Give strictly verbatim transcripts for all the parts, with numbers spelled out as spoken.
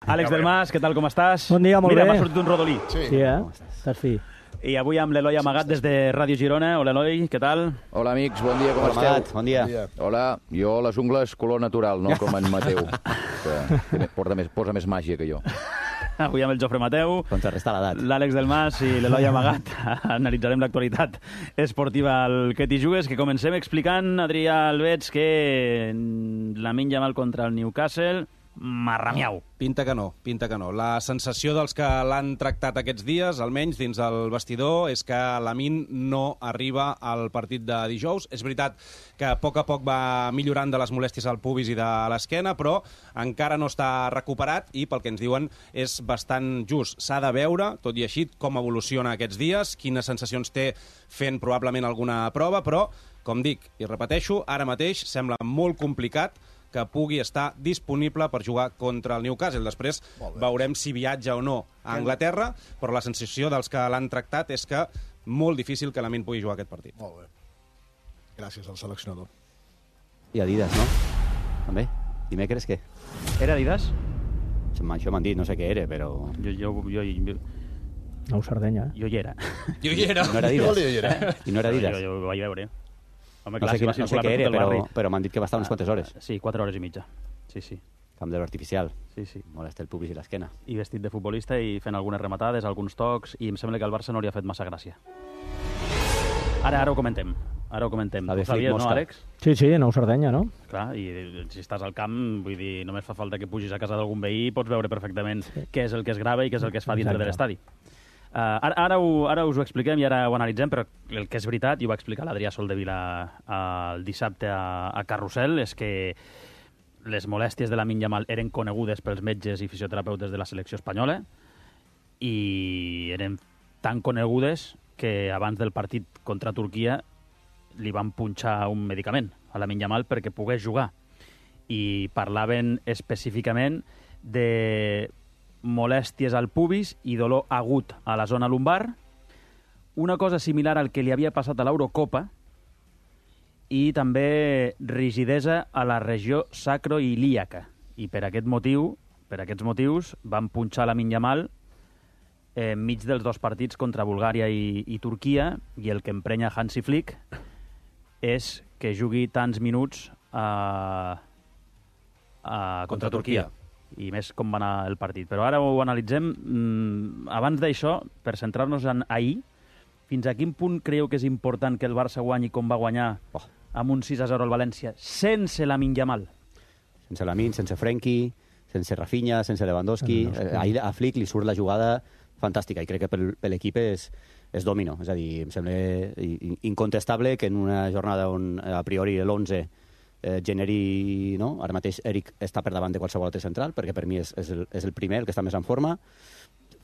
Àlex Delmas, què tal, com estàs? Bon dia, molt Mira, bé. m'ha sortit un rodolí. Sí, sí eh? Estàs fi. I avui amb l'Eloi Amagat des de Ràdio Girona. Hola, Eloi, què tal? Hola, amics, bon dia, com Hola, esteu? Amagat, bon dia. Bon dia. Hola, jo les ungles color natural, no com en Mateu, que porta més, posa més màgia que jo. Avui amb el Jofre Mateu, Contrarrestar l'edat. l'Àlex Delmas i l'Eloi Amagat. Analitzarem l'actualitat esportiva al Que t'hi jugues, que comencem explicant, Adrià Albets, que Lamine Yamal contra el Newcastle... Marramiau. Pinta que no, pinta que no. La sensació dels que l'han tractat aquests dies, almenys dins el vestidor, és que Lamine no arriba al partit de dijous. És veritat que a poc a poc va millorant de les molèsties al pubis i de l'esquena, però encara no està recuperat i, pel que ens diuen, és bastant just. S'ha de veure, tot i així, com evoluciona aquests dies, quines sensacions té fent probablement alguna prova, però, com dic i repeteixo, ara mateix sembla molt complicat que pugui estar disponible per jugar contra el Newcastle. Després veurem si viatja o no a Anglaterra, però la sensació dels que l'han tractat és que molt difícil que Lamine pugui jugar aquest partit. Molt bé. Gràcies al seleccionador. I Adidas, no? També? Dimecres, què? Era Adidas? Això m'han dit, no sé què era, però... Jo, jo, jo, jo, Nou Sardenya, eh? jo hi era. Jo hi era. I no era Adidas? I no era Adidas? Jo, jo ho vaig veure. Home, No clar, sé, si quina, va no sé circular què per era, tot el però, barri. però m'han dit que va estar unes quantes hores. Sí, quatre hores i mitja. Sí, sí. Camp de l'artificial. Sí, sí. Molesta el pubis i l'esquena. I vestit de futbolista i fent algunes rematades, alguns tocs, i em sembla que el Barça no li ha fet massa gràcia. Ara, ara ho comentem. Ara ho comentem. La de Ho sabies, Flick no, Mosca. Àlex? Sí, sí, Nou Sardenya, no? Clar, i si estàs al camp, vull dir, només fa falta que pugis a casa d'algun veí i pots veure perfectament què és el que es grava i què és el que es fa dintre Exacte. de l'estadi. Uh, ara, ara, ho, ara us ho expliquem i ara ho analitzem, però el que és veritat, i ho va explicar l'Adrià Soldevila uh, el dissabte a, a Carrusel, és que les molèsties de Lamine Yamal eren conegudes pels metges i fisioterapeutes de la selecció espanyola i eren tan conegudes que abans del partit contra Turquia li van punxar un medicament a Lamine Yamal perquè pogués jugar. I parlaven específicament de molèsties al pubis i dolor agut a la zona lumbar, una cosa similar al que li havia passat a l'Eurocopa, i també rigidesa a la regió sacroilíaca. I per aquest motiu, per aquests motius, van punxar Lamine Yamal enmig dels dos partits contra Bulgària i, i Turquia, i el que emprenya Hansi Flick és que jugui tants minuts a, a, contra, contra Turquia. I més com va anar el partit. Però ara ho analitzem. Mm, abans d'això, per centrar-nos en ahir, fins a quin punt creieu que és important que el Barça guanyi com va guanyar oh. amb un sis a zero al València, sense Lamine Yamal? Sense Lamine, sense Frenkie, sense Rafinha, sense Lewandowski. Lewandowski. Eh, ahir a Flick li surt la jugada fantàstica i crec que per, per l'equip és, és domino. És a dir, em sembla incontestable que en una jornada on a priori l'onze eh, generi... No? Ara mateix Eric està per davant de qualsevol altre central, perquè per mi és, és, el, és el primer, el que està més en forma.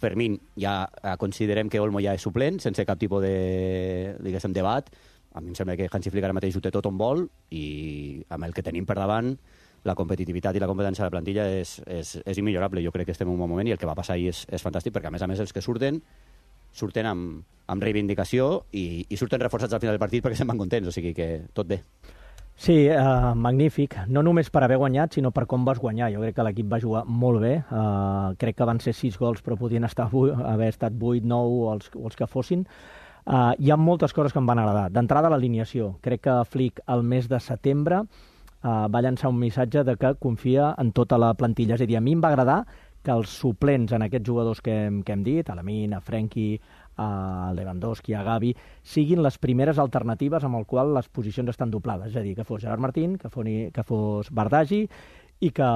Fermín, ja eh, considerem que Olmo ja és suplent, sense cap tipus de, diguéssim, debat. A mi em sembla que Hansi Flick ara mateix ho té tot on vol i amb el que tenim per davant la competitivitat i la competència de la plantilla és, és, és immillorable. Jo crec que estem en un bon moment i el que va passar ahir és, és fantàstic, perquè a més a més els que surten surten amb, amb reivindicació i, i surten reforçats al final del partit perquè se'n van contents, o sigui que tot bé. Sí, uh, magnífic. No només per haver guanyat, sinó per com vas guanyar. Jo crec que l'equip va jugar molt bé. Uh, crec que van ser sis gols, però podien estar haver estat vuit, nou o els, o els que fossin. Uh, hi ha moltes coses que em van agradar. D'entrada, l'alineació. Crec que Flick, al mes de setembre, Uh, va llançar un missatge de que confia en tota la plantilla. És a dir, a mi em va agradar que els suplents en aquests jugadors que hem, que hem dit, a Lamine, a Frenkie, a Lewandowski, a Gavi, siguin les primeres alternatives amb el qual les posicions estan doblades. És a dir, que fos Gerard Martín, que, foni, que fos Bardagi i que,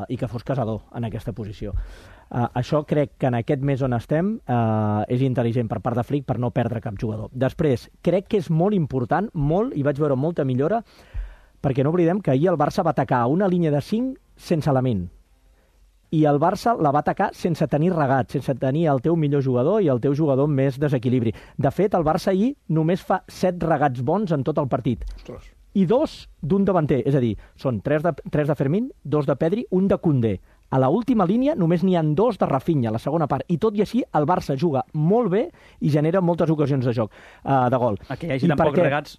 i que fos Casador en aquesta posició. Uh, això crec que en aquest mes on estem uh, és intel·ligent per part de Flick per no perdre cap jugador. Després, crec que és molt important, molt, i vaig veure molta millora, perquè no oblidem que ahir el Barça va atacar una línia de cinc sense Lamine. I el Barça la va atacar sense tenir regat, sense tenir el teu millor jugador i el teu jugador amb més desequilibri. De fet, el Barça ahir només fa set regats bons en tot el partit. Ostres. I dos d'un davanter. És a dir, són tres de, tres de Fermín, dos de Pedri, un de Koundé. A l'última línia només n'hi ha dos de Rafinha, a la segona part. I tot i així, el Barça juga molt bé i genera moltes ocasions de joc, uh, de gol. A que hi hagi I tan pocs perquè... regats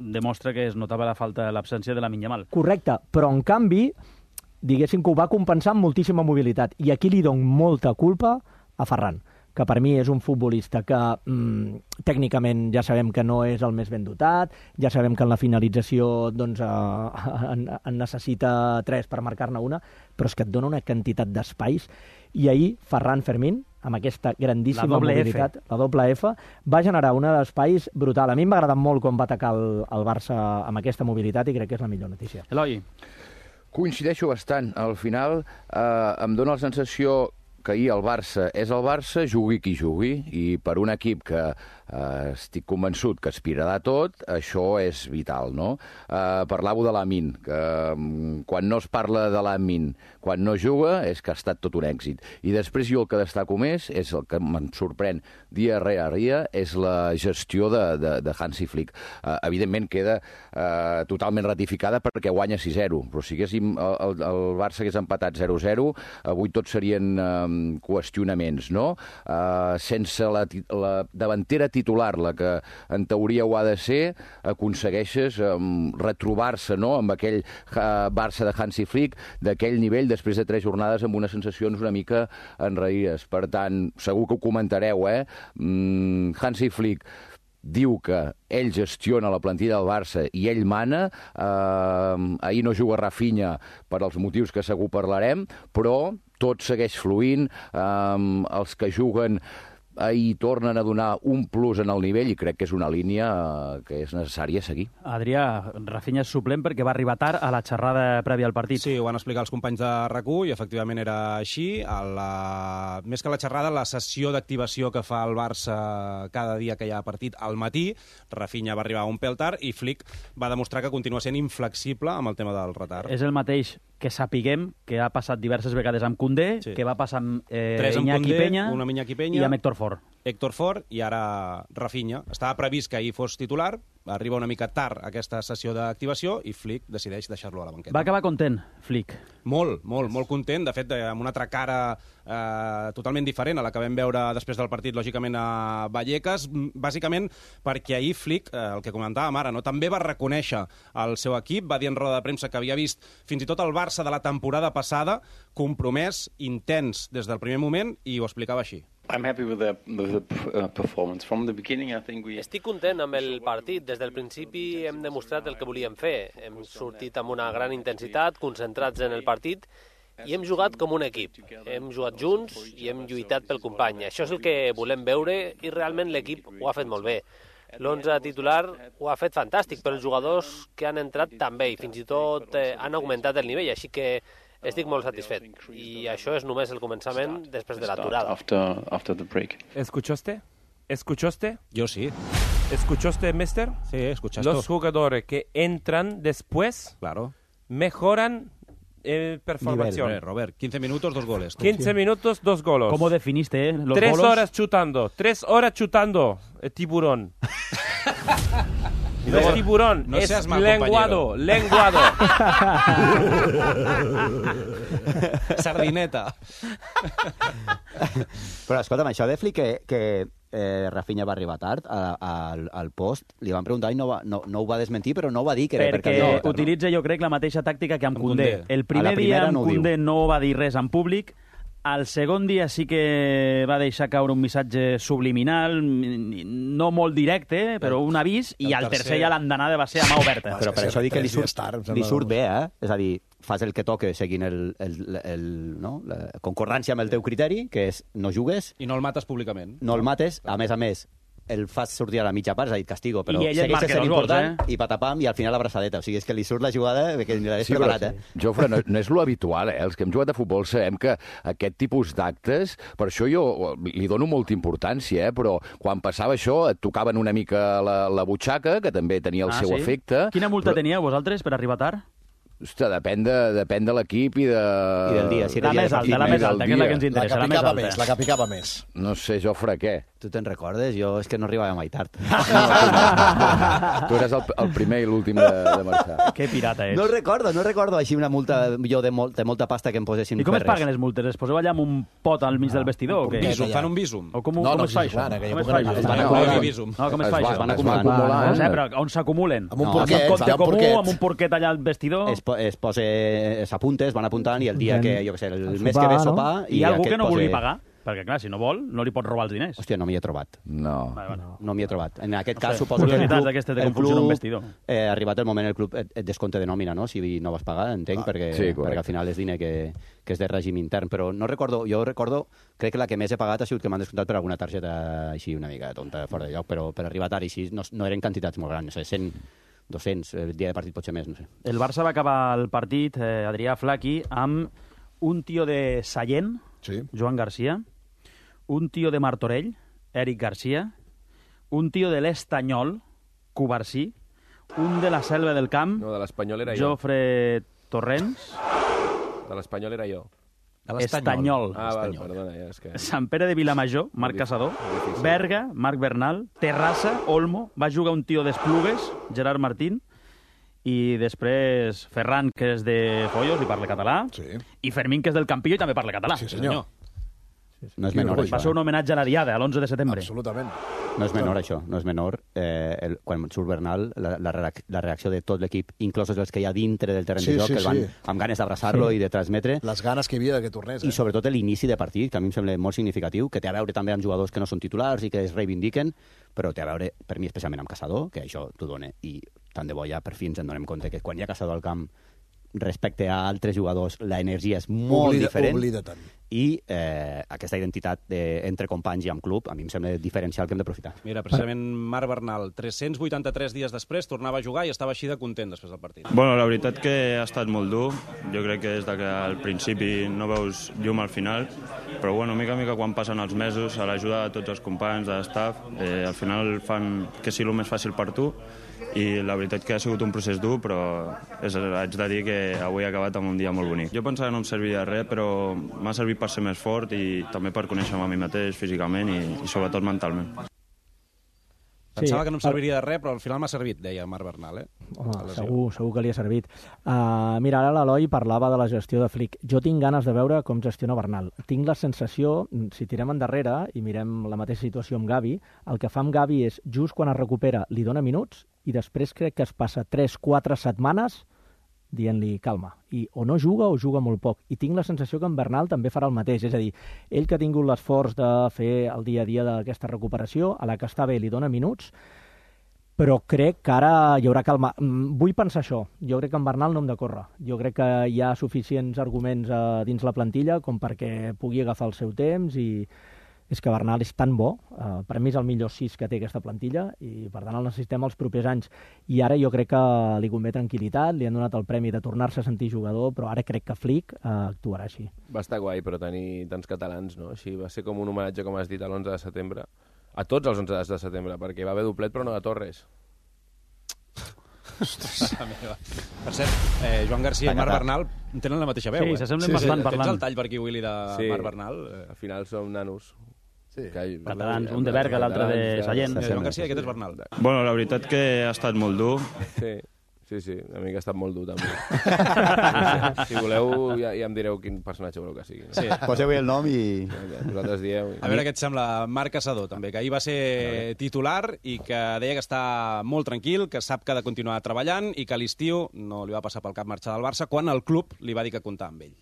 demostra que es notava la falta, l'absència de Lamine Yamal. Correcte, però en canvi diguéssim que ho va compensar amb moltíssima mobilitat. I aquí li dono molta culpa a Ferran, que per mi és un futbolista que mm, tècnicament ja sabem que no és el més ben dotat, ja sabem que en la finalització doncs, eh, en, en necessita tres per marcar-ne una, però és que et dona una quantitat d'espais. I ahir Ferran Fermín, amb aquesta grandíssima la mobilitat, F. la doble F, va generar un d'espais brutal. A mi m'ha agradat molt com va atacar el, el Barça amb aquesta mobilitat i crec que és la millor notícia. Eloi. Coincideixo bastant. Al final eh, em dóna la sensació que ahir el Barça és el Barça, jugui qui jugui, i per un equip que eh, estic convençut que aspirarà a tot, això és vital, no? Eh, parlàveu de Lamine, que um, quan no es parla de Lamine, quan no juga, és que ha estat tot un èxit. I després jo el que destaco més, és el que me'n sorprèn dia rere dia, és la gestió de, de, de Hansi Flick. Eh, evidentment queda eh, totalment ratificada perquè guanya sis zero, però si haguéssim, el, el Barça hagués empatat zero zero, avui tots serien eh, qüestionaments, no? Uh, sense la, la davantera titular, la que en teoria ho ha de ser, aconsegueixes um, retrobar-se, no?, amb aquell uh, Barça de Hansi Flick, d'aquell nivell, després de tres jornades amb unes sensacions una mica enraïdes. Per tant, segur que ho comentareu, eh? Mm, Hansi Flick diu que ell gestiona la plantilla del Barça i ell mana. Eh, ahir no juga Rafinha per als motius que segur parlarem, però tot segueix fluint. Eh, els que juguen ahir tornen a donar un plus en el nivell i crec que és una línia que és necessària seguir. Adrià, Rafinha és suplent perquè va arribar tard a la xerrada prèvia al partit. Sí, ho van explicar els companys de R A C U i efectivament era així. A la... Més que la xerrada, la sessió d'activació que fa el Barça cada dia que hi ha partit al matí, Rafinha va arribar un pèl tard i Flick va demostrar que continua sent inflexible amb el tema del retard. És el mateix que sapiguem que ha passat diverses vegades amb Koundé, sí. que va passar amb eh, Tres amb Iñaki Koundé, Peña, una amb Iñaki Peña i amb Héctor Ford. Héctor Ford i ara Rafinha. Estava previst que ahir fos titular, arriba una mica tard aquesta sessió d'activació i Flick decideix deixar-lo a la banqueta. Va acabar content, Flick. Molt, molt, molt content. De fet, amb una altra cara eh, totalment diferent a la que vam veure després del partit, lògicament, a Vallecas, bàsicament perquè ahir Flick, eh, el que comentàvem ara, no, també va reconèixer el seu equip, va dir en roda de premsa que havia vist fins i tot el Barça de la temporada passada compromès, intens des del primer moment, i ho explicava així. I'm happy with the, with the performance. From the beginning, I think we... Estic content amb el partit. Des del principi hem demostrat el que volíem fer. Hem sortit amb una gran intensitat, concentrats en el partit, i hem jugat com un equip. Hem jugat junts i hem lluitat pel company. Això és el que volem veure i realment l'equip ho ha fet molt bé. L'onze titular ho ha fet fantàstic, però els jugadors que han entrat també, i fins i tot eh, han augmentat el nivell, així que estic molt satisfet. I això és només el començament després de l'aturada. After, after the break. ¿Escuchaste? ¿Escuchaste? Yo sí. ¿Escuchaste, mister? Sí, escuchaste. Los jugadores que entran después Claro. mejoran eh, performación. Nivel. Robert, quince minutos, dos goles. quince minutos, dos goles. ¿Cómo definiste eh, los Tres golos? horas chutando. Tres horas chutando. El tiburón. No es tiburón, no es seas mal lenguado, lenguado. Sardineta. Però escolta'm, això de Flick que, que eh, Rafinha va arribar tard a, a, al, al post, li van preguntar i no, va, no, no ho va desmentir, però no ho va dir que era perquè, perquè perquè utilitza, jo crec, la mateixa tàctica que amb, amb Koundé. Koundé. El primer dia amb no Koundé no va dir res en públic, el segon dia sí que va deixar caure un missatge subliminal, no molt directe, però un avís, i el al tercer tercer ja l'andanada va ser a mà oberta. Però per això dic que li surt, Tard, em sembla, li surt doncs. bé, eh? És a dir, fas el que toca seguint el, el, el, no? la concordància amb el teu criteri, que és no jugues, I no el mates públicament. no el mates, a més a més, el fas sortir a la mitja part, és a dir, castigo, però I ell et segueix marca sent dos gols, important, eh? i patapam, i al final l'abraçadeta. O sigui, és que li surt la jugada que ni l'hagués Sí, preparat, però, eh? Jofre, no, no és lo habitual, eh? Els que hem jugat a futbol sabem que aquest tipus d'actes, per això jo li dono molta importància, eh? Però quan passava això et tocaven una mica la, la butxaca, que també tenia el Ah, seu sí? efecte. Quina multa però, teníeu vosaltres per arribar tard? Ostres, depèn de, depèn de l'equip i de... I del dia, si era La dia més de alta, la partit més i del alta, que és la que ens dia. La interessa, que la més picava alta. més, la que picava més. No sé, Jofre, què? Tu te'n recordes? Jo és que no arribava mai tard. Tu eres el, el primer i l'últim de, de marxar. Que pirata ets. No recordo, no recordo així una multa jo de, molt, de molta pasta que em posessin I com per es res. paguen les multes? Es poseu allà amb un pot al mig del vestidor o què? Visum, fan un visum. O com, No, com no, es fa sí, això? clar, en aquella Com es època fa no això? hi havia. No, no, no hi no. havia visum. No, com es Es fa van- això? es van acumulant. acumulant. No sé, però on s'acumulen? Amb un No, porquet, Un compte hi ha un comú, porquet. amb un porquet allà al vestidor? Es es posa, s'apunta, es van apuntant, i el dia que, jo què sé, el, el mes sopar, que ve no? sopar... Hi ha algú que no posa... vulgui pagar? Perquè, clar, si no vol, no li pot robar els diners. Hòstia, no m'hi he trobat. No. Vale, vale. No, no m'hi he trobat. En aquest No cas, sé, suposo que el curiositats club... d'aquestes de el com funciona un club, vestidor. Eh, arribat el moment, el club et, et descompta de nòmina, no?, si no vas pagar, entenc, Ah, perquè, sí, perquè al final és diner que, que és de règim intern. Però no recordo, jo recordo, crec que la que més he pagat ha sigut que m'han descomptat per alguna targeta així una mica tonta, fora de lloc, però per arribar tard així no, no eren quantitats molt grans, no sé, cent, dos-cents, el dia de partit potser més, no sé. El Barça va acabar el partit, eh, Adrià Flaqui, amb un tio de Sallent, Sí. Joan Garcia, un tio de Martorell, Eric Garcia, un tio de l'Estanyol, Covarsí, un de la Selva del Camp, No, de l'Espanyol era jo. Jofre Torrents, De l'Espanyol era jo. De Estanyol, Ah, val, perdona, ja és que... Sant Pere de Vilamajor, Marc Caçador, Berga, Marc Bernal, Terrassa, Olmo, va jugar un tio d'Esplugues, Gerard Martín, i després Ferran, que és de Foios i parla català, Sí. i Fermín, que és del Campillo i també parla català. Sí, senyor. No és Quin menor, orgull. Va això. ser un homenatge a la Diada, a l'onze de setembre. Absolutament. No és menor, això, no és menor. Eh, el, quan surt Bernal, la, la, reac- la reacció de tot l'equip, inclosos els que hi ha dintre del terreny Sí, de joc, sí, que el van sí. amb ganes d'abraçar-lo Sí. i de transmetre, Les ganes que hi havia de que tornés, eh? i sobretot l'inici de partit, que a mi em sembla molt significatiu, que té a veure també amb jugadors que no són titulars i que es reivindiquen, però té a veure, per mi, especialment amb Caçador, que això t'ho dona, i tant de bo ja per fi ens en donem compte que quan hi ha Caçador al camp, respecte a altres jugadors, l'energia és molt Oblida, diferent. Oblida tant. I eh, aquesta identitat de, entre companys i amb club, a mi em sembla diferencial que hem d'aprofitar. Mira, precisament Marc Bernal, tres-cents vuitanta-tres dies després, tornava a jugar i estava així de content després del partit. Bueno, la veritat que ha estat molt dur. Jo crec que des de que al principi no veus llum al final, però bueno, mica a mica quan passen els mesos, a l'ajuda de tots els companys, de l'estaf, eh, al final fan que sigui el més fàcil per tu, i la veritat que ha sigut un procés dur, però és, haig de dir que avui he acabat amb un dia molt bonic. Jo pensava que no em servia de res, però m'ha servit per ser més fort i també per conèixer-me a mi mateix físicament i, i sobretot mentalment. Pensava Sí, que no em serviria de res, però al final m'ha servit, deia Marc Bernal, eh? Home, La lesió. segur, segur que li ha servit. Uh, mira, ara l'Eloi parlava de la gestió de Flick. Jo tinc ganes de veure com gestiona Bernal. Tinc la sensació, si tirem endarrere i mirem la mateixa situació amb Gavi, el que fa amb Gavi és, just quan es recupera, li dona minuts i després crec que es passa tres quatre setmanes dient-li calma. I o no juga o juga molt poc. I tinc la sensació que en Bernal també farà el mateix. És a dir, ell que ha tingut l'esforç de fer el dia a dia d'aquesta recuperació, a la que està bé li dona minuts, però crec que ara hi haurà calma. Mm, Vull pensar això. Jo crec que en Bernal no hem de córrer. Jo crec que hi ha suficients arguments eh, dins la plantilla com perquè pugui agafar el seu temps i és que Bernal és tan bo, eh, per mi és el millor sis que té aquesta plantilla i per tant el necessitem els propers anys. I ara jo crec que li convé tranquil·litat, li han donat el premi de tornar-se a sentir jugador, però ara crec que Flick eh, actuarà així. Va estar guai, però tenir tants catalans, no? Així va ser com un homenatge, com has dit, a l'onze de setembre. A tots els onze de setembre, perquè va haver doblet, però no de Torres. Per cert, eh, Joan Garcia i Marc Bernal tenen la mateixa veu, Sí, eh? s'assemblen bastant Tens parlant. el tall per aquí, Willy, de Sí. Marc Bernal? Eh, Al final som nanos. Sí. Que... Catalans, un de Berga, l'altre de Sallent. Mira, Joan Garcia, aquest és Bernal. Bueno, la veritat que ha estat molt dur. Sí, sí, sí, a mi que ha estat molt dur, també. Si voleu, ja, ja em direu quin personatge voleu que sigui. No? Sí. Poseu el nom i... Vosaltres dieu... A veure què et sembla Marc Caçador, també, que ahir va ser titular i que deia que està molt tranquil, que sap que ha de continuar treballant i que a l'estiu no li va passar pel cap marxar del Barça quan el club li va dir que comptava amb ell.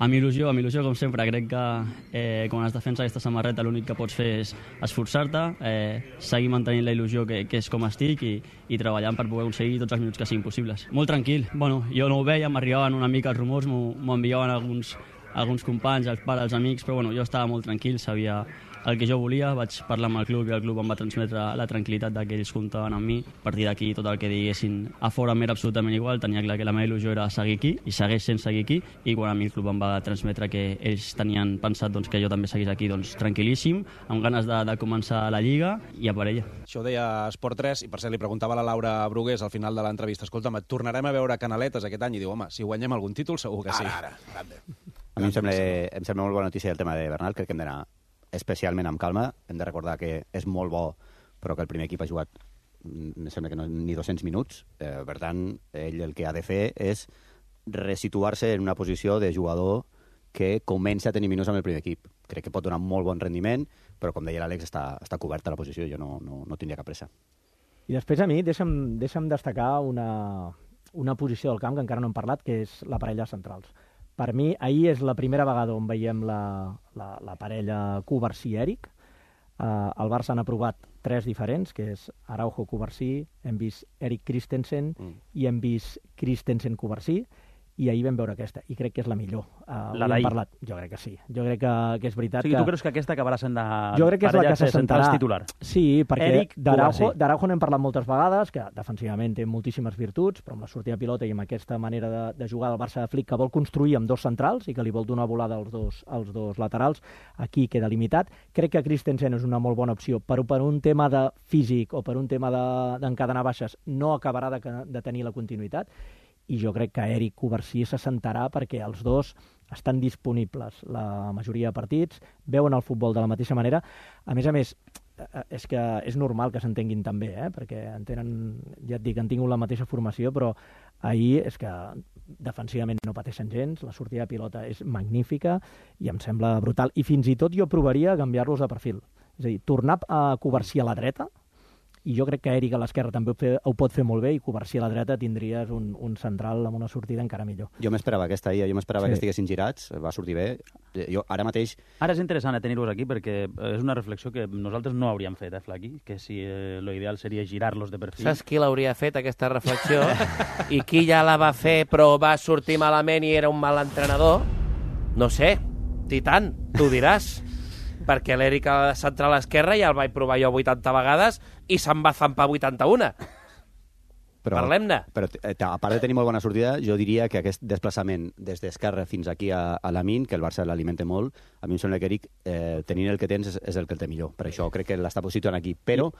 Amb il·lusió, amb il·lusió, com sempre. Crec que eh, quan es defensa aquesta samarreta l'únic que pots fer és esforçar-te, eh, seguir mantenint la il·lusió que, que és com estic i, i treballant per poder aconseguir tots els minuts que siguin possibles. Molt tranquil. Bueno, jo no ho veia, m'arribaven una mica els rumors, m'ho enviaven alguns, alguns companys, els pares, els amics, però bueno, jo estava molt tranquil, sabia el que jo volia, vaig parlar amb el club i el club em va transmetre la tranquil·litat de que ells comptaven amb mi. A partir d'aquí, tot el que diguessin a fora m'era absolutament igual, tenia clar que la meva il·lusió era seguir aquí i segueix sent seguir aquí, i quan a mi el club em va transmetre que ells tenien pensat doncs, que jo també seguís aquí, doncs tranquil·líssim, amb ganes de, de començar la Lliga i a per ella. Això ho deia Esport tres, i per cert li preguntava a la Laura Brugués al final de l'entrevista, escolta'm, et tornarem a veure canaletes aquest any? I diu, home, si guanyem algun títol segur que sí. Ara, ara, grande. A mi em sembla, em sembla molt bona notícia el tema de Bernal, crec que hem d'anar especialment amb calma, hem de recordar que és molt bo, però que el primer equip ha jugat, em sembla que no, ni dos-cents minuts, eh, per tant, ell el que ha de fer és resituar-se en una posició de jugador que comença a tenir minuts amb el primer equip. Crec que pot donar molt bon rendiment, però com deia l'Àlex, està, està coberta la posició, jo no, no, no tindria cap pressa. I després a mi, deixa'm, deixa'm destacar una, una posició del camp que encara no hem parlat, que és la parella centrals. Per mi, ahir és la primera vegada on veiem la, la, la parella Cubarsí-Eric. Uh, el Barça n'ha provat tres diferents, que és Araujo-Cubarsí, hem vist Eric Christensen mm. i hem vist Christensen-Cubarsí, i ahir vam veure aquesta, i crec que és la millor. Uh, la d'ahir? Parlat. Jo crec que sí. Jo crec que, que és veritat o sigui, que... tu creus que aquesta acabarà sent de jo crec que és la que se sentarà titular? Sí, perquè Eric d'Araujo d'Araujo n'hem parlat moltes vegades, que defensivament té moltíssimes virtuts, però amb la sortida de pilota i amb aquesta manera de, de jugar del Barça de Flick, que vol construir amb dos centrals i que li vol donar volada als dos, als dos laterals, aquí queda limitat. Crec que Christensen és una molt bona opció, però per un tema de físic o per un tema d'encadenar de, baixes no acabarà de, de tenir la continuïtat, i jo crec que Eric Cubarsí se sentarà perquè els dos estan disponibles la majoria de partits, veuen el futbol de la mateixa manera. A més a més, és que és normal que s'entenguin també, eh? Perquè en tenen, ja et dic, han tingut la mateixa formació, però ahir és que defensivament no pateixen gens, la sortida de pilota és magnífica i em sembla brutal. I fins i tot jo provaria canviar-los de perfil. És a dir, tornar a Cubarsí a la dreta, i jo crec que Eric a l'esquerra també ho, fe, ho pot fer molt bé, i Cubarsí a la dreta tindries un, un central amb una sortida encara millor. Jo m'esperava aquesta ahir, jo m'esperava sí. que estiguessin girats, va sortir bé. Jo ara mateix... Ara és interessant tenir-los aquí perquè és una reflexió que nosaltres no hauríem fet, eh, Flaqui? Que si eh, lo ideal seria girar-los de perfil. Saps qui l'hauria fet, aquesta reflexió? I qui ja la va fer però va sortir malament i era un mal entrenador? No sé, Titan, tu diràs. Perquè l'Eric ha de centrar a l'esquerra, ja el vaig provar jo vuitanta vegades i se'n va zampar vuitanta-una. Però, Parlem-ne. Però a part de tenir molt bona sortida, jo diria que aquest desplaçament des d'esquerra fins aquí a, a Lamine, que el Barça l'alimenta molt, a mi em sembla que Eric, eh, tenint el que tens, és, és el que el té millor. Per això crec que l'està posicionant aquí. Però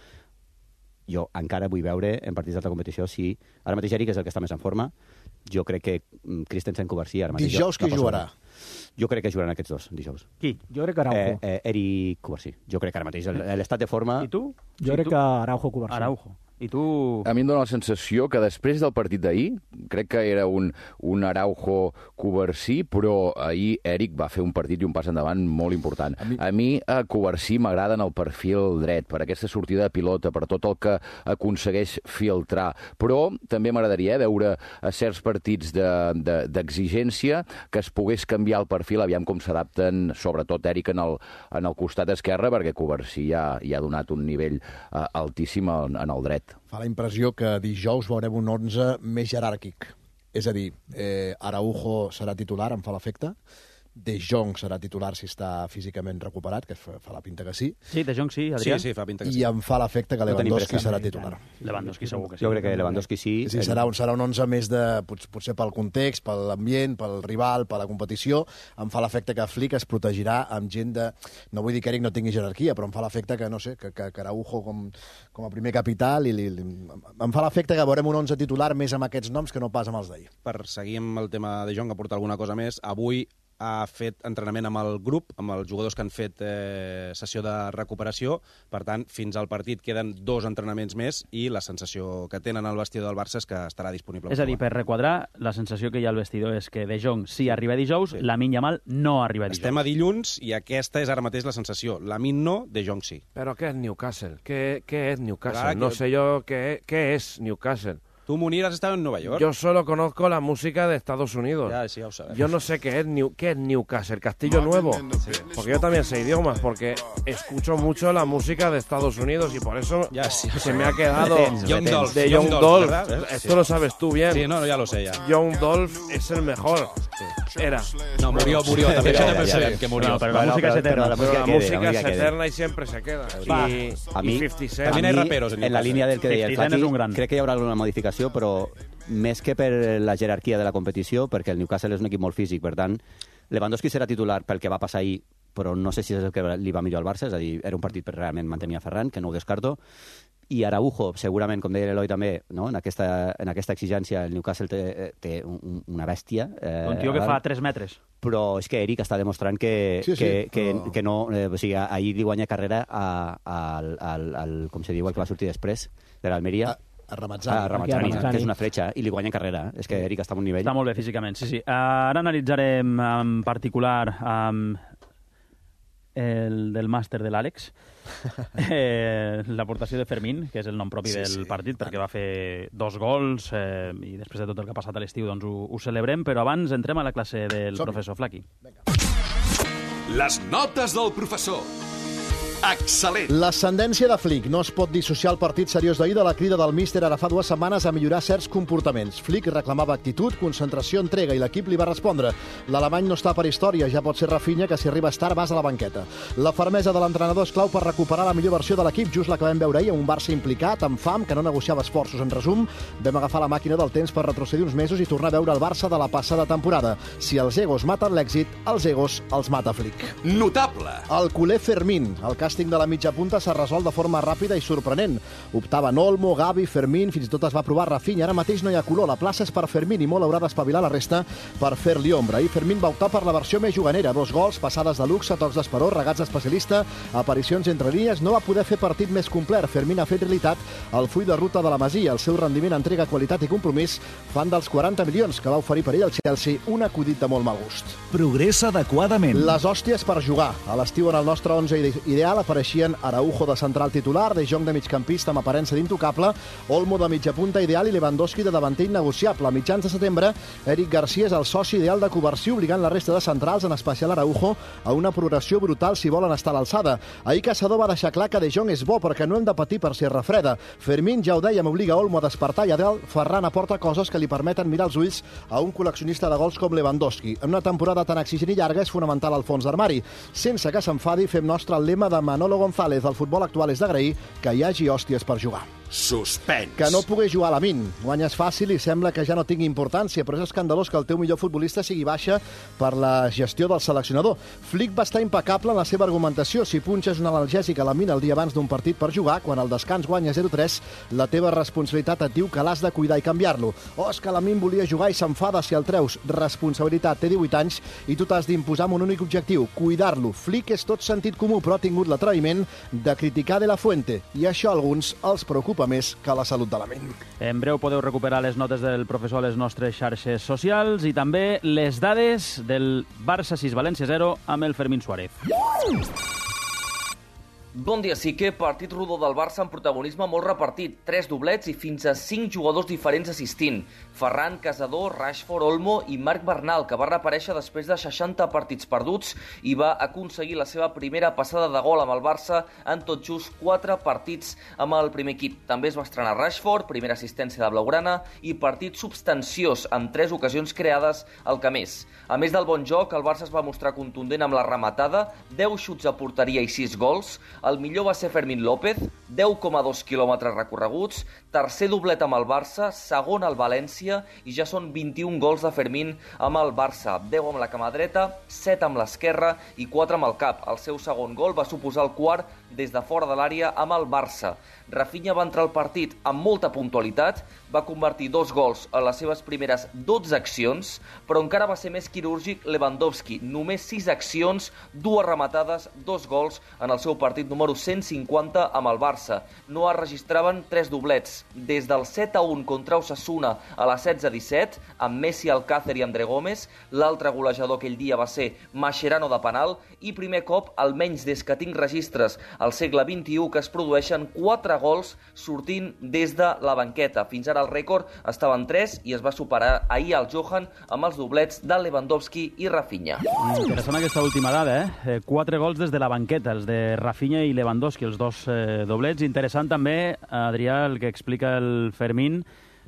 jo encara vull veure en partits d'altra competició si... Ara mateix Eric és el que està més en forma. Jo crec que Christensen Cubarsí... Dijous qui jugarà? Jo crec que jugaran aquests dos, dijous. Qui? Jo crec que Araujo. Eh, eh, Eric Cubarsí. Jo crec que ara mateix l'estat de forma... I tu? Jo sí, crec tu? que Araujo Cubarsí. Araujo. I tu... A mi em dóna la sensació que després del partit d'ahir, crec que era un, un Araujo Cubarsí, però ahir Eric va fer un partit i un pas endavant molt important. A mi, a mi a Cubarsí m'agrada en el perfil dret, per aquesta sortida de pilota, per tot el que aconsegueix filtrar. Però també m'agradaria veure a certs partits d'exigència de, de, que es pogués canviar el perfil, aviam com s'adapten, sobretot Eric en el, en el costat esquerre, perquè Cubarsí ja, ja ha donat un nivell uh, altíssim en, en el dret. Fa la impressió que dijous veurem un onze més jeràrquic. És a dir, eh, Araujo serà titular, em fa l'efecte. De Jong serà titular si està físicament recuperat, que fa, fa la pinta que sí. Sí, De Jong sí, Adrià. Sí, sí, fa pinta que sí. I em fa l'efecte que Lewandowski no serà titular. Lewandowski segur que sí. Jo crec que Lewandowski sí. Sí, serà un, serà un onze més de... Potser pel context, per l'ambient, pel rival, per la competició. Em fa l'efecte que Flick es protegirà amb gent de... No vull dir que Eric no tingui jerarquia, però em fa l'efecte que, no sé, que, que, que Araujo com, com a primer capital... I li, li, em fa l'efecte que veurem un onze titular més amb aquests noms que no pas amb els d'ahir. Per seguir amb el tema de Jong, que porta alguna cosa més, avui ha fet entrenament amb el grup, amb els jugadors que han fet eh, sessió de recuperació. Per tant, fins al partit queden dos entrenaments més i la sensació que tenen al vestidor del Barça és que estarà disponible. És a dir, per requadrar, la sensació que hi ha al vestidor és que De Jong sí arriba dijous, sí. Lamine Yamal no arriba dijous. Estem a dilluns i aquesta és ara mateix la sensació. Lamine no, De Jong sí. Però què és Newcastle? Què, què és Newcastle? Clar, no que... sé yo qué, qué es Newcastle. Tú, Munir, has estado en Nueva York. Yo solo conozco la música de Estados Unidos. Ya, sí, ya lo sabes. Yo no sé qué es, New, qué es Newcastle, Castillo Nuevo. Sí. Porque yo también sé idiomas, porque escucho mucho la música de Estados Unidos y por eso ya, sí, se me ha quedado Young Dolph, de Young, Young Dolph. Dolph. Esto sí. lo sabes tú bien. Sí, no, no, ya lo sé ya. Young Dolph es el mejor. Sí. Era. No, murió, murió. También ya, ya, ya, ya, ya. que murió. No, pero la música es eterna. La música, la música es eterna y siempre se queda. Va. Y, a mí, y cincuenta Cent. También hay raperos en, en la línia del que deia el Fati, un gran. crec que hi haurà alguna modificació, però més que per la jerarquia de la competició, perquè el Newcastle és un equip molt físic, per tant, Lewandowski serà titular pel que va passar ahir, però no sé si és el que li va millor al Barça, és a dir, era un partit per realment mantenir a Ferran, que no ho descarto, i Araujo, segurament, com deia l'Eloi també, no? en, aquesta, en aquesta exigència el Newcastle té, té un, una bèstia. Eh, un tio que fa tres metres. Però és que Eric està demostrant que, sí, sí, que, que, però... que no... Eh, o sigui, ahir li guanya carrera a, a, al, al, al, com se diu, el que va sortir després, de l'Almeria. A... A Ramazzani, ah, Ramazzani, Ramazzani, que és una fletxa, i li guanya carrera. És que Eric està a un nivell... Està molt bé físicament, sí, sí. Ara analitzarem en particular um, el del màster de l'Àlex, eh, l'aportació de Fermín, que és el nom propi Sí, del sí, partit, perquè va fer dos gols eh, i després de tot el que ha passat a l'estiu doncs ho, ho celebrem, però abans entrem a la classe del Som-hi. professor Flaqui. Les notes del professor. Excel·lent. L'ascendència de Flick. No es pot dissociar el partit seriós d'ahir de la crida del míster ara fa dues setmanes a millorar certs comportaments. Flick reclamava actitud, concentració, entrega i l'equip li va respondre. L'alemany no està per història, ja pot ser Rafinha, que si arribes tard vas a la banqueta. La fermesa de l'entrenador és clau per recuperar la millor versió de l'equip, just la que vam veure ahir, un Barça implicat, amb fam, que no negociava esforços. En resum, vam agafar la màquina del temps per retrocedir uns mesos i tornar a veure el Barça de la passada temporada. Si els egos maten l'èxit, els egos els mata Flick. Notable. El culer Fermín. El càsting de la mitja punta s'ha resolt de forma ràpida i sorprenent. Optaven Olmo, Gavi, Fermín, fins i tot es va provar Rafinha. Ara mateix no hi ha color. La plaça és per Fermín i molt haurà d'espavilar la resta per fer-li ombra. I Fermín va optar per la versió més juganera. Dos gols, passades de luxe, tocs d'esperó, regats d'especialista, aparicions entre línies. No va poder fer partit més complet. Fermín ha fet realitat el full de ruta de la Masia. El seu rendiment, entrega, qualitat i compromís fan dels quaranta milions que va oferir per ell el Chelsea un acudit de molt mal gust. Progressa adequadament. Les hòsties per jugar. A l'estiu en el nostre onze ideal apareixien Araujo de central titular, De Jong de migcampista amb aparença d'intocable, Olmo de mitja punta ideal i Lewandowski de davanter innegociable. A mitjans de setembre, Eric Garcia és el soci ideal de Covarsí, obligant la resta de centrals, en especial Araujo, a una progressió brutal si volen estar a l'alçada. Ahir Caçador va deixar clar que De Jong és bo perquè no hem de patir per si es refreda. Fermín, ja ho dèiem, obliga Olmo a despertar i a dalt Ferran aporta coses que li permeten mirar els ulls a un col·leccionista de gols com Lewandowski. En una temporada tan exigent i llarga és fonamental el fons d'armari. Sense que s'enfadi, fem nostre el lema de Manolo González. El futbol actual és d'agrair que hi hagi hòsties per jugar. Suspens. Que no pogués jugar a la Min. Guanyes fàcil i sembla que ja no tingui importància, però és escandalós que el teu millor futbolista sigui baixa per la gestió del seleccionador. Flick va estar impecable en la seva argumentació. Si punxes un analgèsic a la Min el dia abans d'un partit per jugar, quan al descans guanya zero tres, la teva responsabilitat et diu que l'has de cuidar i canviar-lo. O és que la Min volia jugar i s'enfada si el treus. Responsabilitat, té divuit anys i tu t'has d'imposar amb un únic objectiu, cuidar-lo. Flick és tot sentit comú, però ha tingut l'atreviment de criticar De La Fuente. I això a alguns els preocupa més que la salut de la ment. En breu podeu recuperar les notes del professor a les nostres xarxes socials i també les dades del Barça sis València zero amb el Fermín Suárez. Bon dia, sí que partit rodó del Barça amb protagonisme molt repartit. Tres doblets i fins a cinc jugadors diferents assistint. Ferran, Caçador, Rashford, Olmo i Marc Bernal, que va reaparèixer després de seixanta partits perduts i va aconseguir la seva primera passada de gol amb el Barça en tot just quatre partits amb el primer equip. També es va estrenar Rashford, primera assistència de Blaugrana i partit substanciós amb tres ocasions creades al Camés. A més del bon joc, el Barça es va mostrar contundent amb la rematada, deu xuts a porteria i sis gols. El millor va ser Fermín López, deu coma dos quilòmetres recorreguts, tercer doblet amb el Barça, segon al València i ja són vint-i-un gols de Fermín amb el Barça, deu amb la cama dreta, set amb l'esquerra i quatre amb el cap. El seu segon gol va suposar el quart des de fora de l'àrea amb el Barça. Rafinha va entrar al partit amb molta puntualitat, va convertir dos gols a les seves primeres dotze accions, però encara va ser més quirúrgic Lewandowski, només sis accions, dues rematades, dos gols en el seu partit número cent cinquanta amb el Barça. No es registraven tres doblets. Des del set a un contra Osasuna a la setze disset, amb Messi, Alcácer i André Gómez, l'altre golejador aquell dia va ser Mascherano de penal, i primer cop, almenys des que tinc registres al segle vint-i-u, que es produeixen quatre gols sortint des de la banqueta. Fins ara el rècord estava en tres i es va superar ahir al Johan amb els doblets de Lewandowski i Rafinha. Interessant aquesta última dada, eh? Quatre gols des de la banqueta, els de Rafinha i Lewandowski, els dos eh, doblets. Interessant també, Adrià, el que explica el Fermín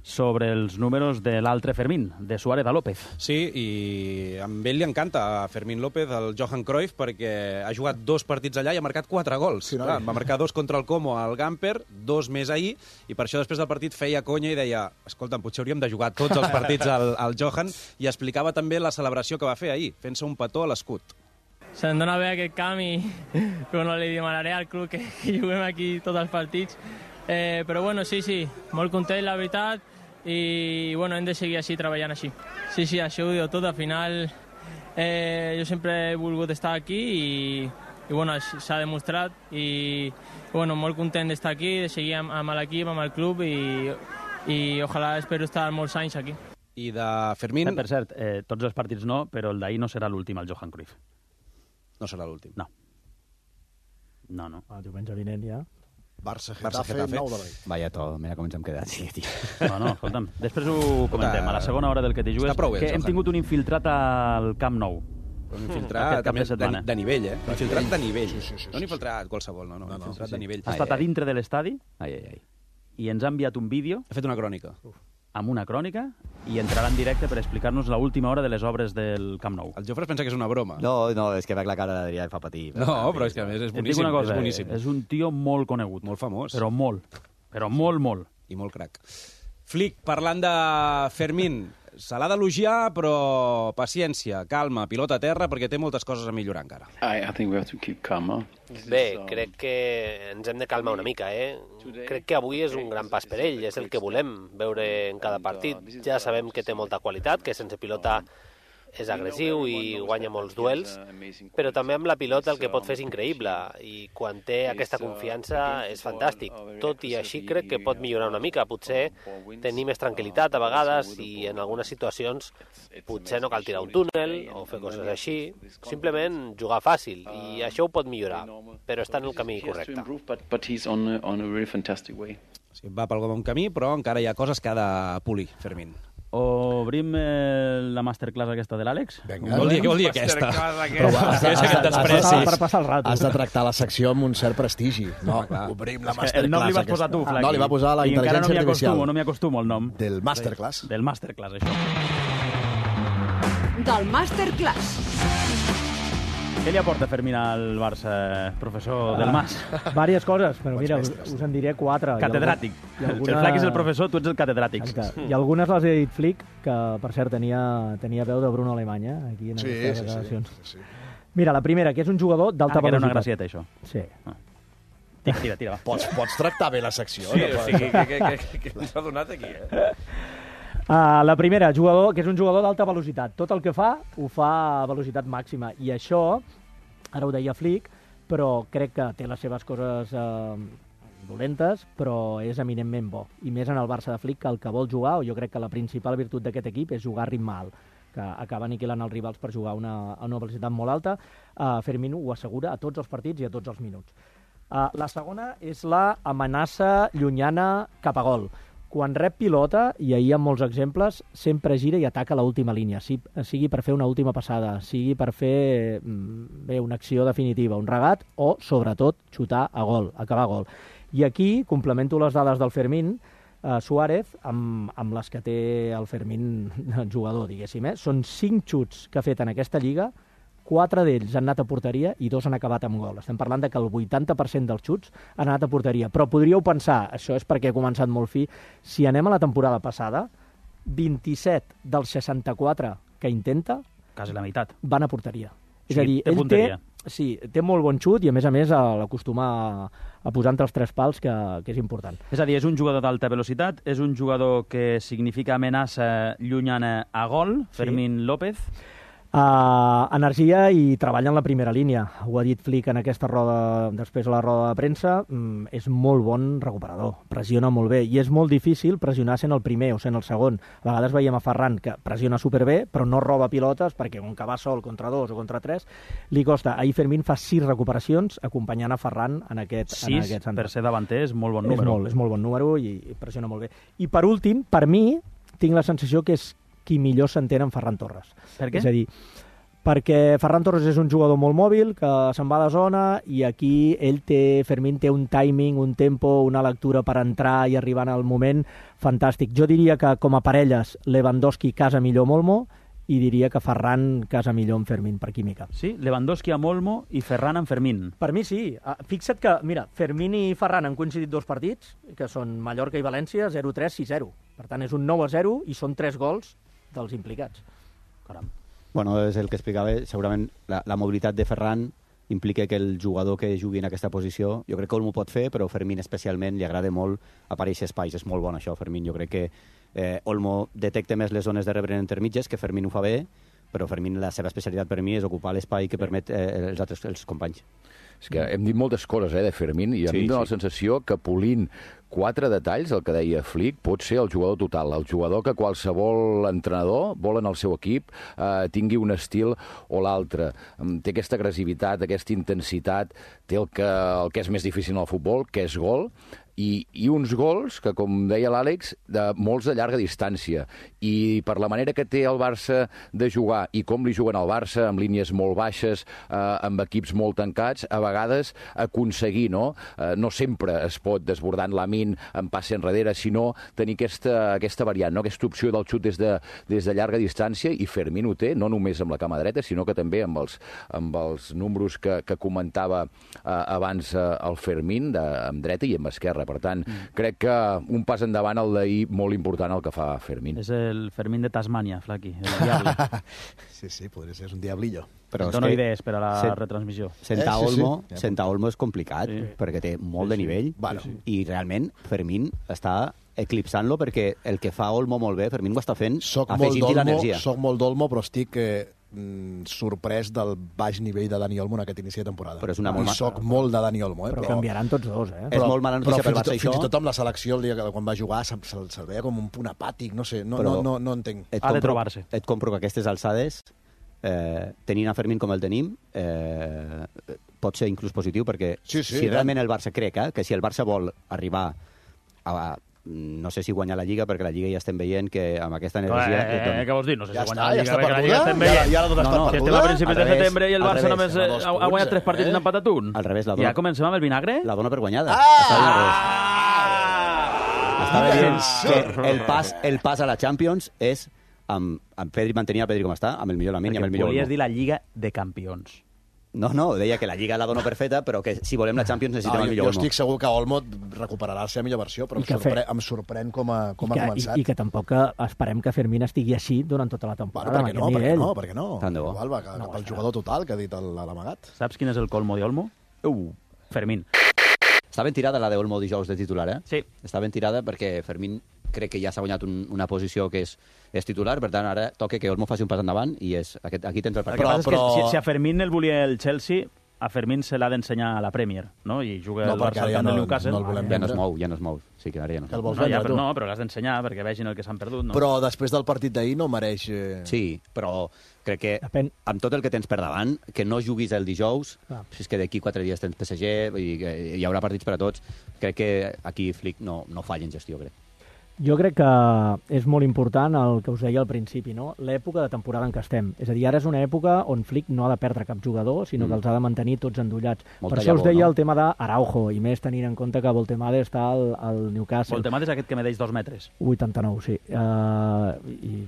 sobre els números de l'altre Fermín, de Suárez a López. Sí, i a ell li encanta a Fermín López, el Johan Cruyff, perquè ha jugat dos partits allà i ha marcat quatre gols. Sí, no? Clar, va marcar dos contra el Como al Gamper, dos més ahir, i per això després del partit feia conya i deia, escolta'm, potser hauríem de jugar tots els partits al, al Johan, i explicava també la celebració que va fer ahir, fent-se un petó a l'escut. Se'm dona bé aquest camp i bueno, li demanaré al club que, que juguem aquí tots els partits. Eh, però bueno, sí, sí, molt content, la veritat, i bueno, hem de seguir així, treballant així. Sí, sí, això ho diu tot, al final eh, jo sempre he volgut estar aquí i, i bueno, s'ha demostrat i bueno, molt content d'estar aquí, de seguir amb, amb l'equip, amb el club i, i ojalà espero estar molts anys aquí. I de Fermín... Per cert, eh, tots els partits no, però el d'ahir no serà l'últim, el Johan Cruyff. No serà l'últim. No. No, no. El diumenge vinent ja. Barça, Barça, Getafe, Getafe. nou de la nit. Vaya to, mira com ens hem quedat, sí, tio. No, no, escolta'm. Després ho comentem. A la segona hora del que t'hi jugues, Està prou bé, que hem Johan. tingut un infiltrat al Camp Nou. Un infiltrat Aquest cap també de setmana. de, de nivell, eh? Un infiltrat de nivell. Sí, sí, sí, no un sí, infiltrat qualsevol, no, no, un infiltrat de nivell. Ha estat a dintre de l'estadi Ai, ai, ai. i ens ha enviat un vídeo Ha fet una crònica. amb una crònica i entrarà en directe per explicar-nos l'última hora de les obres del Camp Nou. El Jofre es pensa que és una broma. No, no, és que veig la cara d'Adrià i fa patir. No, però és que a més és Et dic boníssim. una cosa, és boníssim. és un tio molt conegut. Molt famós. Però molt. Però molt, molt. I molt crac. Flick, parlant de Fermín, se l'ha d'elogiar, però paciència, calma, pilota a terra, perquè té moltes coses a millorar encara. I, I think we have to keep calm, huh? Bé, crec que ens hem de calmar una mica, eh? Crec que avui és un gran pas per ell, és el que volem veure en cada partit. Ja sabem que té molta qualitat, que sense pilota és agressiu i guanya molts duels, però també amb la pilota el que pot fer és increïble, i quan té aquesta confiança és fantàstic. Tot i així crec que pot millorar una mica, potser tenir més tranquil·litat a vegades i en algunes situacions potser no cal tirar un túnel o fer coses així, simplement jugar fàcil, i això ho pot millorar, però està en el camí correcte. But, but he's on a, on a really fantastic way. Sí, va pel bon camí, però encara hi ha coses que ha de polir, Fermín. Obrim eh, la masterclass aquesta de l'Àlex? Vinga. Què vol dir, què vol dir aquesta? Però has de, Què és has, aquest de, has, despreci? Per passar el rato. has de tractar la secció amb un cert prestigi. No, clar. obrim la És que el nom masterclass. li vas posar tu, aquesta. Flaqui. No, li va posar la I encara no intel·ligència m'hi artificial. acostumo, no m'hi acostumo el nom. Del masterclass. Del masterclass, això. Del Masterclass. Què li aporta Fermín al Barça, professor del Mas? Vàries coses, però mira, us, us en diré quatre. Catedràtic. I alguna... El Flaqui és el professor, tu ets el catedràtic. Exacte. I algunes les he dit Flick, que per cert tenia, tenia veu de Bruno Alemany, eh, aquí en Sí, aquestes sí, sí, declaracions. sí, sí. Mira, la primera, que és un jugador d'alta Ah, que era velocitat. una gracieta, això. Sí. Ah. Tira, tira, tira, va. Pots, pots tractar bé la secció. Sí, no? o sigui, que, que, que, que ens ha donat aquí, eh? Uh, la primera, jugador, que és un jugador d'alta velocitat. Tot el que fa, ho fa a velocitat màxima. I això, ara ho deia Flick, però crec que té les seves coses eh, dolentes, però és eminentment bo. I més en el Barça de Flick, que el que vol jugar, o jo crec que la principal virtut d'aquest equip és jugar a ritme alt, que acaba aniquilant els rivals per jugar a una, a una velocitat molt alta. Uh, Fermín ho assegura a tots els partits i a tots els minuts. Uh, la segona és la amenaça llunyana cap a gol. Quan rep pilota, i ahir hi ha molts exemples, sempre gira i ataca l'última línia, sigui per fer una última passada, sigui per fer bé, una acció definitiva, un regat, o, sobretot, xutar a gol, acabar a gol. I aquí complemento les dades del Fermín, eh, Suárez, amb, amb les que té el Fermín jugador, diguéssim. Eh? Són cinc xuts que ha fet en aquesta lliga, quatre d'ells han anat a porteria i dos han acabat amb gol. Estem parlant de que el vuitanta per cent dels xuts han anat a porteria. Però podríeu pensar, això és perquè he començat molt fi, si anem a la temporada passada, vint-i-set dels seixanta-quatre que intenta quasi la meitat van a porteria. Sí, és a dir, té ell punteria. té, sí, té molt bon xut i, a més a més, l'acostuma a, a posar entre els tres pals, que, que és important. És a dir, és un jugador d'alta velocitat, és un jugador que significa amenaça llunyana a gol, Fermín sí. López. Uh, energia i treballa en la primera línia. Ho ha dit Flick en aquesta roda, després de la roda de premsa, mm, és molt bon recuperador, pressiona molt bé, i és molt difícil pressionar sent el primer o sent el segon. A vegades veiem a Ferran, que pressiona superbé, però no roba pilotes, perquè com que va sol contra dos o contra tres, li costa. Ahir Fermín fa sis recuperacions acompanyant a Ferran en aquest, sis, en aquest centre. Per ser davanter, és molt bon És número. molt, és molt bon número i, i pressiona molt bé. I per últim, per mi, tinc la sensació que és qui millor s'entén amb Ferran Torres. Per què? És a dir, perquè Ferran Torres és un jugador molt mòbil, que se'n va de zona, i aquí ell té, Fermín té un timing, un tempo, una lectura per entrar i arribar en el moment fantàstic. Jo diria que com a parelles Lewandowski casa millor Olmo, i diria que Ferran casa millor amb Fermín per química. Sí? Lewandowski amb Olmo i Ferran amb Fermín. Per mi sí. Fixa't que, mira, Fermín i Ferran han coincidit dos partits, que són Mallorca i València, zero tres, sis zero. Per tant, és un nou a zero i són tres gols dels implicats. Caram. Bueno, és el que explicava, segurament la, la mobilitat de Ferran implica que el jugador que jugui en aquesta posició, jo crec que Olmo pot fer, però Fermín especialment li agrada molt aparèixer espais, és molt bon això, Fermín. Jo crec que eh, Olmo detecta més les zones de rebre intermitges, que Fermín ho fa bé, però Fermín, la seva especialitat per mi és ocupar l'espai que permet eh, els altres els companys. És que hem dit moltes coses eh, de Fermín, i a Sí, mi em dóna sí. la sensació que polint quatre detalls, el que deia Flick, pot ser el jugador total, el jugador que qualsevol entrenador vol en el seu equip eh, tingui un estil o l'altre. Té aquesta agressivitat, aquesta intensitat, té el que, el que és més difícil en el futbol, que és gol, i, i uns gols que, com deia l'Àlex, de molts de llarga distància. I per la manera que té el Barça de jugar i com li juguen al Barça, amb línies molt baixes, eh, amb equips molt tancats, a vegades aconseguir, no? Eh, no sempre es pot desbordant Lamine en passe enrere, sinó tenir aquesta, aquesta variant, no? Aquesta opció del xut des de, des de llarga distància, i Fermín ho té, no només amb la cama dreta, sinó que també amb els, amb els números que, que comentava eh, abans eh, el Fermín, de, amb dreta i amb esquerra. Per tant, mm. crec que un pas endavant el d'ahir molt important el que fa Fermín. És el Fermín de Tasmània, Flaqui, el diable. Sí, sí, podria ser, és un diablillo. Però dono idees per a la Sent, retransmissió. Senta eh, sí, Olmo, sí. Senta Olmo és complicat, sí. perquè té molt sí, de nivell, sí. Bueno. i realment Fermín està eclipsant-lo, perquè el que fa Olmo molt bé, Fermín ho està fent afegint-hi l'energia. Soc molt d'Olmo, però estic eh, sorprès del baix nivell de Dani Olmo en aquest inici de temporada. Però és una molt... Soc molt de Dani Olmo. Eh? Però, però canviaran tots dos, eh? Però, és molt mala notícia per Barça, tot, això. Fins i tot amb la selecció, el dia que quan va jugar, se'l se, se veia com un punt apàtic, no sé, no, no, no, no entenc. Ha de trobar-se. Et compro que aquestes alçades, eh, tenint a Fermín com el tenim, eh, pot ser inclús positiu, perquè sí, sí, si realment el Barça crec eh, que si el Barça vol arribar a... no sé si guanyar la Lliga, perquè la Lliga ja estem veient que amb aquesta energia... Eh, eh, què vols dir? No sé ja si guanyar està, la Lliga, ja perquè la Lliga estem veient. Ja, ja la dones no, no, per si estem a principis de setembre i el Barça revés, només ha, ha, ha guanyat tres partits i n'ha empatat un. Al revés, la dona... Ja comencem amb el vinagre? La dona per guanyada. Ah! Estava dient que el pas, el pas a la Champions és amb, amb Pedri, mantenir el Pedri com està, amb el millor Lamine i amb el millor Olmo. Volies dir la Lliga de Campions. No, no, deia que la Lliga la dono per feta, però que si volem la Champions necessitem ah, el millor Olmo. Jo estic segur que Olmo recuperarà la seva millor versió, però em sorprèn, em sorprèn com ha, com que, ha començat. I, I que tampoc esperem que Fermín estigui així durant tota la temporada. Bueno, perquè, no, perquè no, perquè no, Tant de bo. Igual va cap no, al jugador total, que ha dit l'amagat. Saps quin és el colmo d'Olmo? Uh. Fermín. Està ben tirada la d'Olmo dijous de titular, eh? Sí. Està ben tirada perquè Fermín crec que ja s'ha guanyat un, una posició que és, és titular, per tant, ara toca que Olmo faci un pas endavant i és, aquest, aquí tens el partit. Però, però... Si, si a Fermín el volia el Chelsea, a Fermín se l'ha d'ensenyar a la Premier, no? I juga no, el Barça al camp no, del Newcastle. No el volem ja no es mou, ja no es mou. Sí que ara ja no. El vols no, ja, vendre, però, no, però l'has d'ensenyar perquè vegin el que s'han perdut, no? Però després del partit d'ahir no mereix... Eh... Sí, però crec que Depèn. amb tot el que tens per davant, que no juguis el dijous, ah. si és que d'aquí quatre dies tens P S G i hi haurà partits per a tots, crec que aquí Flick no, no falla en gestió, crec. Jo crec que és molt important el que us deia al principi, no? L'època de temporada en què estem. És a dir, ara és una època on Flick no ha de perdre cap jugador, sinó mm. que els ha de mantenir tots endollats. Molta per això llavor, us deia no? el tema d'Araujo, i més tenint en compte que Voltemade està al, al Newcastle. Voltemade és aquest que medeix dos metres. vuitanta-nou, sí. Uh, i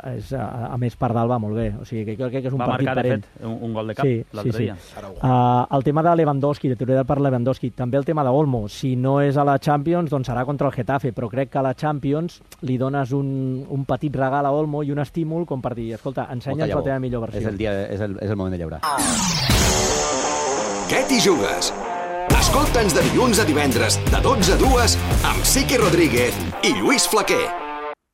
és, a, a més, Pardal va molt bé. O sigui, que crec que és un va partit marcar, per ell. de fet, un, un gol de cap sí, l'altre sí, dia. Sí. Uh, el tema de Lewandowski, de teoria per Lewandowski, també el tema d'Olmo. Si no és a la Champions, doncs serà contra el Getafe, però crec que a la Champions li dones un, un petit regal a Olmo i un estímul com per dir, escolta, ensenya'ns la teva millor versió. És el, dia, és el, és el moment de llaurar. Què t'hi jugues? Escolta'ns de dilluns a divendres, de dotze a dues, amb Sique Rodríguez i Lluís Flaquer.